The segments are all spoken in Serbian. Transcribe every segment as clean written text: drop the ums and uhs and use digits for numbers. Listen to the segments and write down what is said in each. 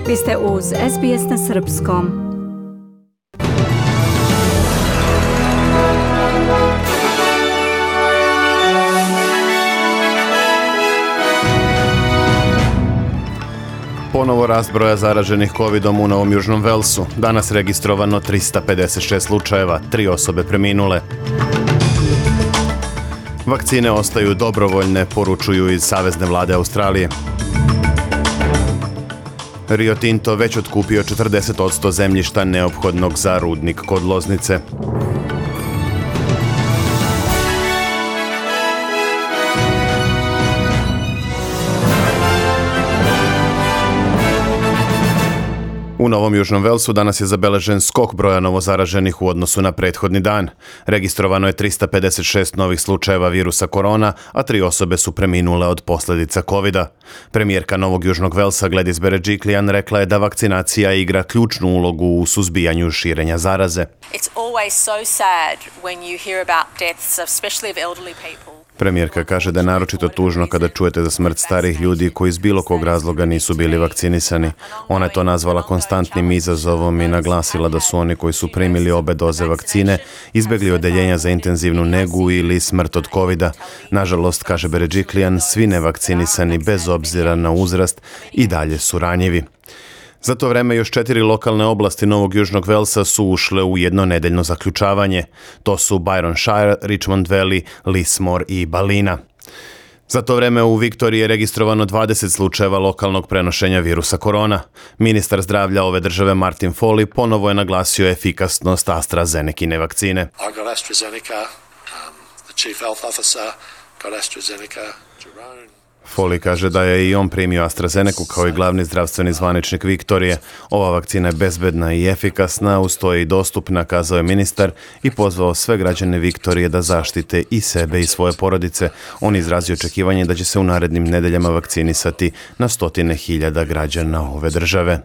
Vi ste uz SBS na srpskom. Ponovo rast broja zaraženih covidom u Novom Južnom Velsu. Danas registrovano 356 slučajeva, 3 osobe preminule. Vakcine ostaju dobrovoljne, poručuju iz Savezne vlade Australije. Rio Tinto već otkupio 40% zemljišta neophodnog za rudnik kod Loznice. U Novom Južnom Velsu danas je zabeležen skok broja novozaraženih u odnosu na prethodni dan. Registrovano je 356 novih slučajeva virusa korona, a 3 osobe su preminule od posljedica covida. Premijerka Novog Južnog Velsa Gladys Berejiklian rekla je da vakcinacija igra ključnu ulogu u suzbijanju širenja zaraze. It's always so sad when you hear about deaths, especially of elderly people. Premijerka kaže da je naročito tužno kada čujete za smrt starih ljudi koji iz bilo kog razloga nisu bili vakcinisani. Ona je to nazvala konstantnim izazovom i naglasila da su oni koji su primili obe doze vakcine izbjegli odeljenja za intenzivnu negu ili smrt od covida. Nažalost, kaže Berejiklian, svi nevakcinisani bez obzira na uzrast i dalje su ranjivi. Za to vreme još 4 lokalne oblasti Novog Južnog Velsa su ušle u jednonedeljno zaključavanje. To su Byron Shire, Richmond Valley, Lismore i Ballina. Za to vreme u Viktoriji je registrovano 20 slučajeva lokalnog prenošenja virusa korona. Ministar zdravlja ove države Martin Foley ponovo je naglasio efikasnost AstraZenekine vakcine. I got AstraZeneca, the chief health officer got AstraZeneca, Jerome. Foley kaže da je i on primio AstraZeneku kao i glavni zdravstveni zvaničnik Viktorije. Ova vakcina je bezbedna i efikasna, uz to je i dostupna, kazao je ministar i pozvao sve građane Viktorije da zaštite i sebe i svoje porodice. On izrazio očekivanje da će se u narednim nedeljama vakcinisati na 100.000 građana ove države.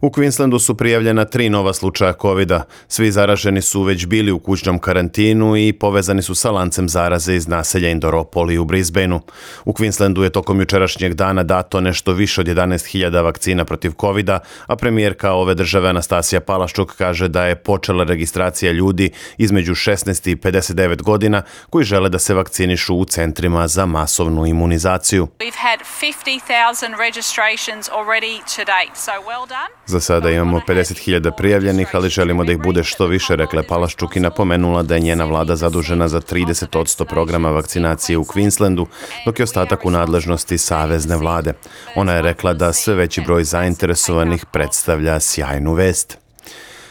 U Queenslandu su prijavljena 3 nova slučaja covida. Svi zaraženi su već bili u kućnom karantinu i povezani su sa lancem zaraze iz naselja Indooroopoli u Brisbaneu. U Queenslandu je tokom jučerašnjeg dana dato nešto više od 11.000 vakcina protiv covida, a premijerka ove države Anastasija Palaszczuk kaže da je počela registracija ljudi između 16 i 59 godina koji žele da se vakcinišu u centrima za masovnu imunizaciju. We've had 50,000 registrations already to date, so well done. Za sada imamo 50.000 prijavljenih, ali želimo da ih bude što više, rekla je Palaszczuk i napomenula da je njena vlada zadužena za 30% programa vakcinacije u Queenslandu, dok je ostatak u nadležnosti savezne vlade. Ona je rekla da sve veći broj zainteresovanih predstavlja sjajnu vest.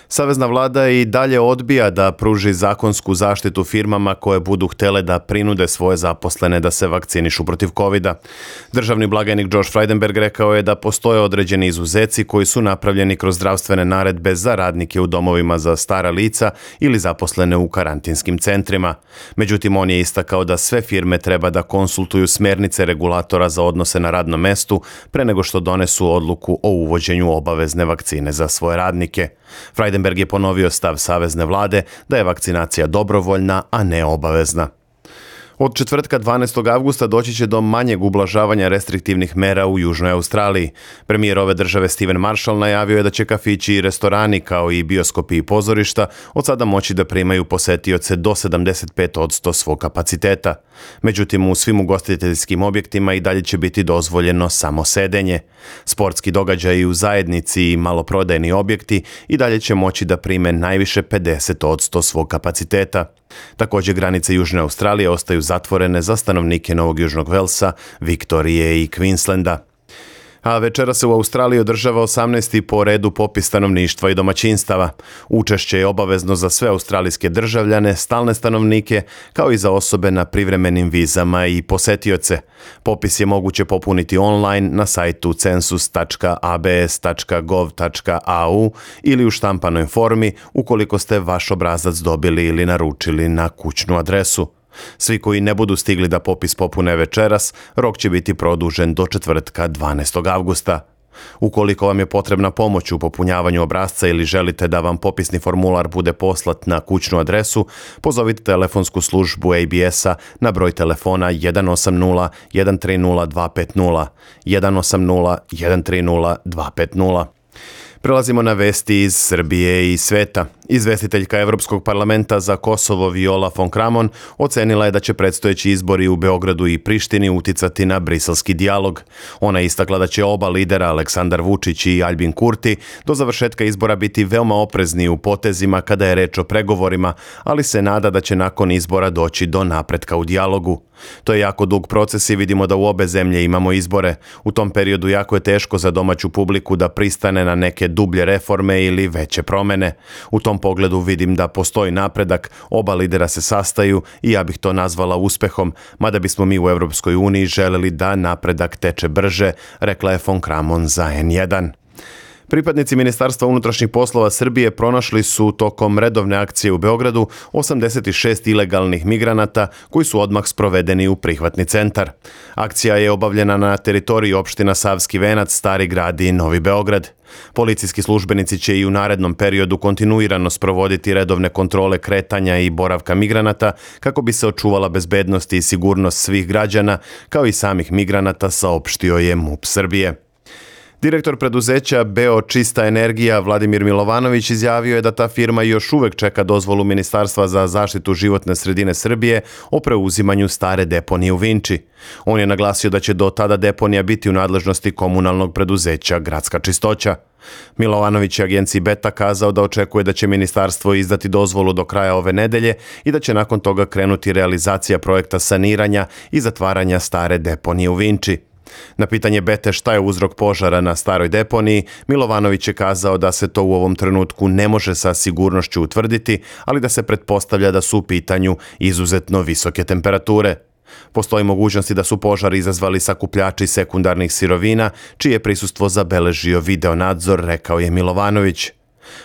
Savezna vlada i dalje odbija da pruži zakonsku zaštitu firmama koje budu htjele da prinude svoje zaposlene da se vakcinišu protiv covida. Državni blagajnik Josh Frydenberg rekao je da postoje određeni izuzeci koji su napravljeni kroz zdravstvene naredbe za radnike u domovima za stara lica ili zaposlene u karantinskim centrima. Međutim, on je istakao da sve firme treba da konsultuju smjernice regulatora za odnose na radnom mestu pre nego što donesu odluku o uvođenju obavezne vakcine za svoje radnike. Frydenberg je ponovio stav savezne vlade da je vakcinacija dobrovoljna, a ne obavezna. Od četvrtka 12. avgusta doći će do manjeg ublažavanja restriktivnih mera u Južnoj Australiji. Premijer ove države Steven Marshall najavio je da će kafići i restorani kao i bioskopi i pozorišta od sada moći da primaju posetioce do 75% svog kapaciteta. Međutim, u svim ugostiteljskim objektima i dalje će biti dozvoljeno samo sedenje. Sportski događaji u zajednici i maloprodajni objekti i dalje će moći da prime najviše 50% svog kapaciteta. Također, granice Južne Australije ostaju zatvorene za stanovnike Novog Južnog Velsa, Viktorije i Queenslanda. A večera se u Australiji održava 18. po redu popis stanovništva i domaćinstava. Učešće je obavezno za sve australijske državljane, stalne stanovnike, kao i za osobe na privremenim vizama i posetioce. Popis je moguće popuniti online na sajtu census.abs.gov.au ili u štampanoj formi ukoliko ste vaš obrazac dobili ili naručili na kućnu adresu. Svi koji ne budu stigli da popis popune večeras, rok će biti produžen do četvrtka 12. avgusta. Ukoliko vam je potrebna pomoć u popunjavanju obrasca ili želite da vam popisni formular bude poslat na kućnu adresu, pozovite telefonsku službu ABS-a na broj telefona 180 130 250, 180 130 250. Prelazimo na vesti iz Srbije i sveta. Izvestiteljka Evropskog parlamenta za Kosovo Viola von Kramon ocenila je da će predstojeći izbori u Beogradu i Prištini uticati na briselski dijalog. Ona je istakla da će oba lidera, Aleksandar Vučić i Aljbin Kurti, do završetka izbora biti veoma oprezni u potezima kada je reč o pregovorima, ali se nada da će nakon izbora doći do napretka u dijalogu. To je jako dug proces i vidimo da u obe zemlje imamo izbore. U tom periodu jako je teško za domaću publiku da pristane na neke dublje reforme ili veće promene. U tom pogledu vidim da postoji napredak, oba lidera se sastaju i ja bih to nazvala uspehom, mada bismo mi u Europskoj uniji želeli da napredak teče brže, rekla je von Kramon za N1. Pripadnici Ministarstva unutrašnjih poslova Srbije pronašli su tokom redovne akcije u Beogradu 86 ilegalnih migranata koji su odmah sprovedeni u prihvatni centar. Akcija je obavljena na teritoriji opština Savski Venac, Stari Grad i Novi Beograd. Policijski službenici će i u narednom periodu kontinuirano sprovoditi redovne kontrole kretanja i boravka migranata kako bi se očuvala bezbednost i sigurnost svih građana, kao i samih migranata, saopštio je MUP Srbije. Direktor preduzeća Beo Čista energija Vladimir Milovanović izjavio je da ta firma još uvek čeka dozvolu Ministarstva za zaštitu životne sredine Srbije o preuzimanju stare deponije u Vinči. On je naglasio da će do tada deponija biti u nadležnosti komunalnog preduzeća Gradska čistoća. Milovanović je agenciji Beta kazao da očekuje da će ministarstvo izdati dozvolu do kraja ove nedelje i da će nakon toga krenuti realizacija projekta saniranja i zatvaranja stare deponije u Vinči. Na pitanje Bete šta je uzrok požara na staroj deponiji, Milovanović je kazao da se to u ovom trenutku ne može sa sigurnošću utvrditi, ali da se pretpostavlja da su u pitanju izuzetno visoke temperature. Postoji mogućnosti da su požar izazvali sakupljači sekundarnih sirovina, čije prisustvo zabeležio videonadzor, rekao je Milovanović.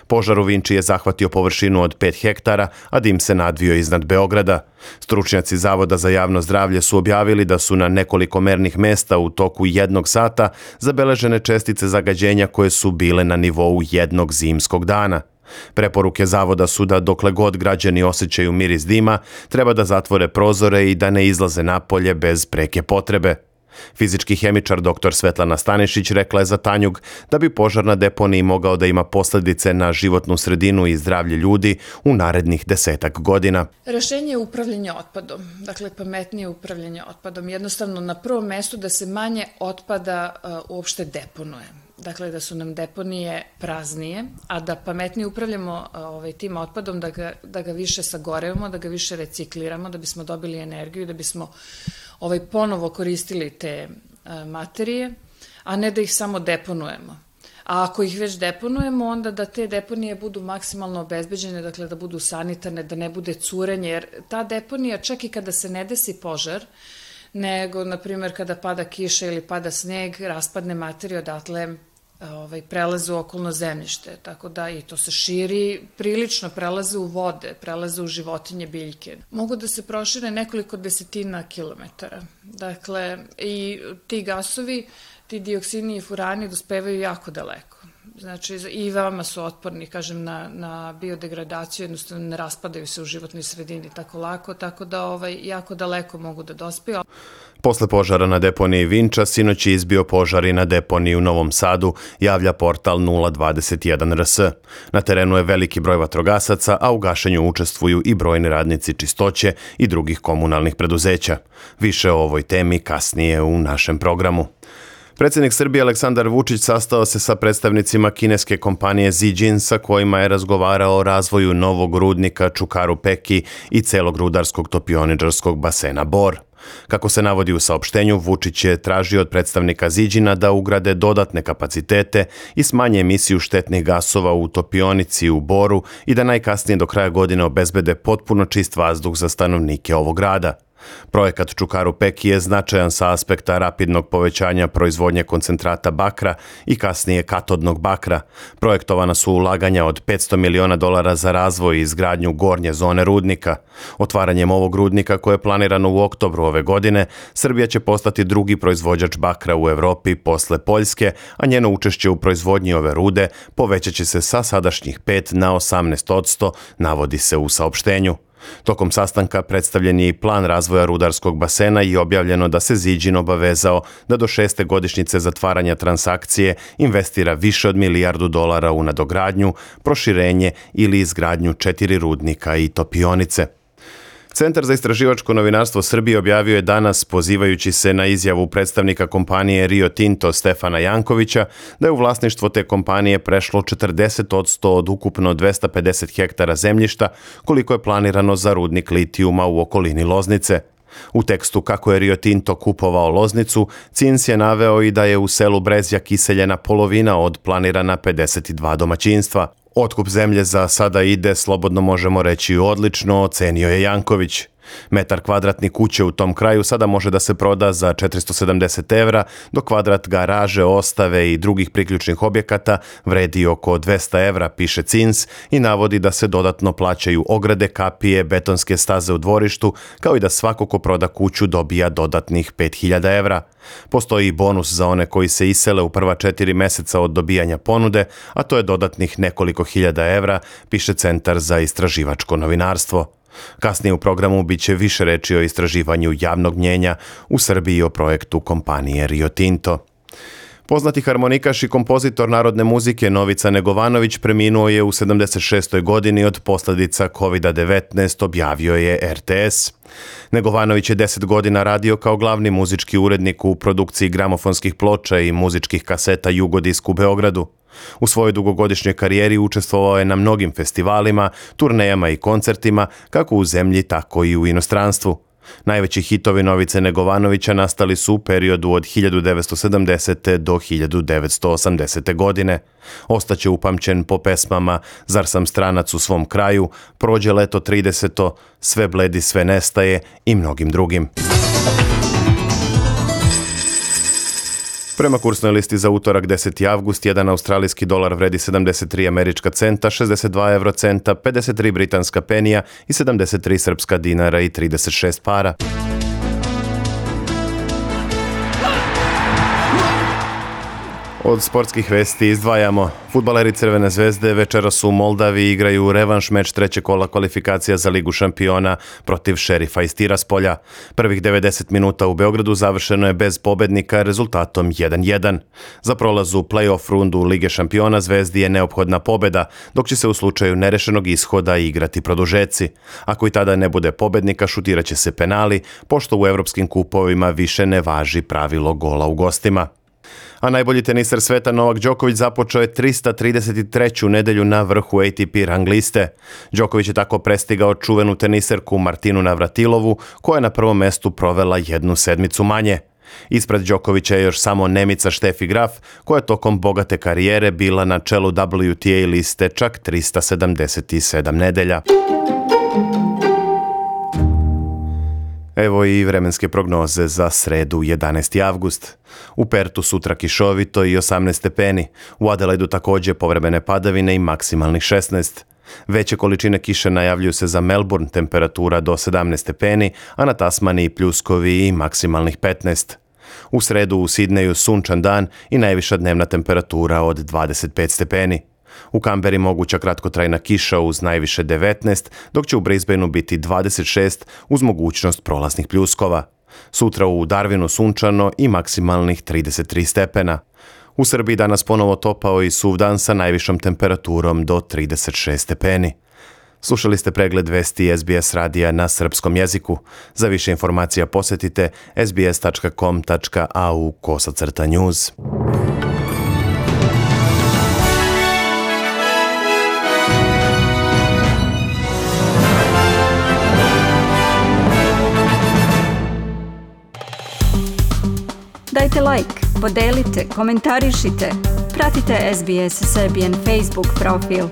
Požar u Vinči je zahvatio površinu od 5 hektara, a dim se nadvio iznad Beograda. Stručnjaci Zavoda za javno zdravlje su objavili da su na nekoliko mernih mesta u toku 1 sata zabeležene čestice zagađenja koje su bile na nivou jednog zimskog dana. Preporuke Zavoda su da dokle god građani osjećaju miris dima, treba da zatvore prozore i da ne izlaze napolje bez preke potrebe. Fizički hemičar dr. Svetlana Stanišić rekla je za Tanjug da bi požar na deponiji mogao da ima posljedice na životnu sredinu i zdravlje ljudi u narednih 10 godina. Rešenje je upravljanje otpadom, dakle pametnije upravljanje otpadom. Jednostavno na prvom mestu da se manje otpada uopšte deponuje. Dakle, da su nam deponije praznije, a da pametnije upravljamo tim otpadom, da ga više sagorevamo, da ga više recikliramo, da bismo dobili energiju, da bismo ponovo koristili te materije, a ne da ih samo deponujemo. A ako ih već deponujemo, onda da te deponije budu maksimalno obezbeđene, dakle da budu sanitarne, da ne bude curenje, jer ta deponija čak i kada se ne desi požar, nego, na primjer, kada pada kiša ili pada sneg, raspadne materije odatle prelaze u okolno zemljište, tako da i to se širi, prilično prelaze u vode, prelaze u životinje, biljke. Mogu da se prošire nekoliko desetina kilometara. Dakle, i ti gasovi, ti dioksini i furani dospevaju jako daleko. Znači, i veoma su otporni, kažem, na biodegradaciju, jednostavno ne raspadaju se u životnoj sredini tako lako, tako da jako daleko mogu da dospiju. Posle požara na deponiji Vinča, sinoć je izbio požar i na deponiji u Novom Sadu, javlja portal 021 RS. Na terenu je veliki broj vatrogasaca, a u gašenju učestvuju i brojni radnici čistoće i drugih komunalnih preduzeća. Više o ovoj temi kasnije u našem programu. Predsjednik Srbije Aleksandar Vučić sastao se sa predstavnicima kineske kompanije Zijin sa kojima je razgovarao o razvoju novog rudnika Čukaru Peki i celog rudarskog topioničarskog basena Bor. Kako se navodi u saopštenju, Vučić je tražio od predstavnika Zijina da ugrade dodatne kapacitete i smanje emisiju štetnih gasova u topionici u Boru i da najkasnije do kraja godine obezbede potpuno čist vazduh za stanovnike ovog grada. Projekat Čukaru Peki je značajan sa aspekta rapidnog povećanja proizvodnje koncentrata bakra i kasnije katodnog bakra. Projektovana su ulaganja od $500 miliona za razvoj i izgradnju gornje zone rudnika. Otvaranjem ovog rudnika, koje je planirano u oktobru ove godine, Srbija će postati drugi proizvođač bakra u Evropi posle Poljske, a njeno učešće u proizvodnji ove rude povećat će se sa sadašnjih 5 na 18%, navodi se u saopštenju. Tokom sastanka predstavljen je i plan razvoja rudarskog basena i objavljeno da se Ziđin obavezao da do 6. godišnjice zatvaranja transakcije investira više od $1 milijardu u nadogradnju, proširenje ili izgradnju 4 rudnika i topionice. Centar za istraživačko novinarstvo Srbije objavio je danas, pozivajući se na izjavu predstavnika kompanije Rio Tinto Stefana Jankovića, da je u vlasništvo te kompanije prešlo 40% od ukupno 250 hektara zemljišta, koliko je planirano za rudnik litijuma u okolini Loznice. U tekstu kako je Rio Tinto kupovao Loznicu, CINS je naveo i da je u selu Brezjak iseljena polovina od planirana 52 domaćinstva. Otkup zemlje za sada ide, slobodno možemo reći, odlično, ocenio je Janković. Metar kvadratni kuće u tom kraju sada može da se proda za 470 evra, dok kvadrat garaže, ostave i drugih priključnih objekata vredi oko 200 evra, piše CINS, i navodi da se dodatno plaćaju ograde, kapije, betonske staze u dvorištu, kao i da svako ko proda kuću dobija dodatnih 5000 evra. Postoji i bonus za one koji se isele u prva 4 meseca od dobijanja ponude, a to je dodatnih nekoliko hiljada evra, piše Centar za istraživačko novinarstvo. Kasnije u programu biće više reči o istraživanju javnog mnjenja u Srbiji i o projektu kompanije Rio Tinto. Poznati harmonikaš i kompozitor narodne muzike Novica Negovanović preminuo je u 76. godini od posljedica COVID-19, objavio je RTS. Negovanović je 10 godina radio kao glavni muzički urednik u produkciji gramofonskih ploča i muzičkih kaseta Jugodisk u Beogradu. U svojoj dugogodišnjoj karijeri učestvovao je na mnogim festivalima, turnejama i koncertima, kako u zemlji, tako i u inostranstvu. Najveći hitovi Novice Negovanovića nastali su u periodu od 1970. do 1980. godine. Ostaće upamćen po pesmama Zar sam stranac u svom kraju, Prođe leto 30. Sve bledi, sve nestaje i mnogim drugim. Prema kursnoj listi za utorak 10. avgust, jedan australijski dolar vredi 73 američka centa, 62 eurocenta, 53 britanska penija i 73 srpska dinara i 36 para. Od sportskih vesti izdvajamo. Fudbaleri Crvene zvezde večeras u Moldaviji igraju revanš meč trećeg kola kvalifikacija za Ligu šampiona protiv Šerifa iz Tiraspolja. Prvih 90 minuta u Beogradu završeno je bez pobednika rezultatom 1:1. Za prolaz u play-off rundu Lige šampiona Zvezdi je neophodna pobeda, dok će se u slučaju nerešenog ishoda igrati produžeci. Ako i tada ne bude pobednika, šutiraće se penali, pošto u evropskim kupovima više ne važi pravilo gola u gostima. A najbolji teniser sveta Novak Đoković započeo je 333. nedelju na vrhu ATP rang liste. Đoković je tako prestigao čuvenu teniserku Martinu Navratilovu, koja je na prvom mestu provela 1 sedmicu manje. Ispred Đokovića je još samo Nemica Steffi Graf, koja je tokom bogate karijere bila na čelu WTA liste čak 377 nedelja. Evo i vremenske prognoze za sredu 11. avgust. U Pertu sutra kišovito i 18 stepeni. U Adelaidu također povremene padavine i maksimalnih 16. Veće količine kiše najavljuju se za Melbourne, temperatura do 17 stepeni, a na Tasmaniji pljuskovi i maksimalnih 15. U sredu u Sidneju sunčan dan i najviša dnevna temperatura od 25 stepeni. U Kamberi moguća kratkotrajna kiša uz najviše 19, dok će u Brisbaneu biti 26 uz mogućnost prolaznih pljuskova. Sutra u Darwinu sunčano i maksimalnih 33 stepena. U Srbiji danas ponovo topao i suv dan sa najvišom temperaturom do 36 stepeni. Slušali ste pregled vesti SBS radija na srpskom jeziku. Za više informacija posjetite sbs.com.au/news. Dajte like, podelite, komentarišite. Pratite SBS Serbian Facebook profil.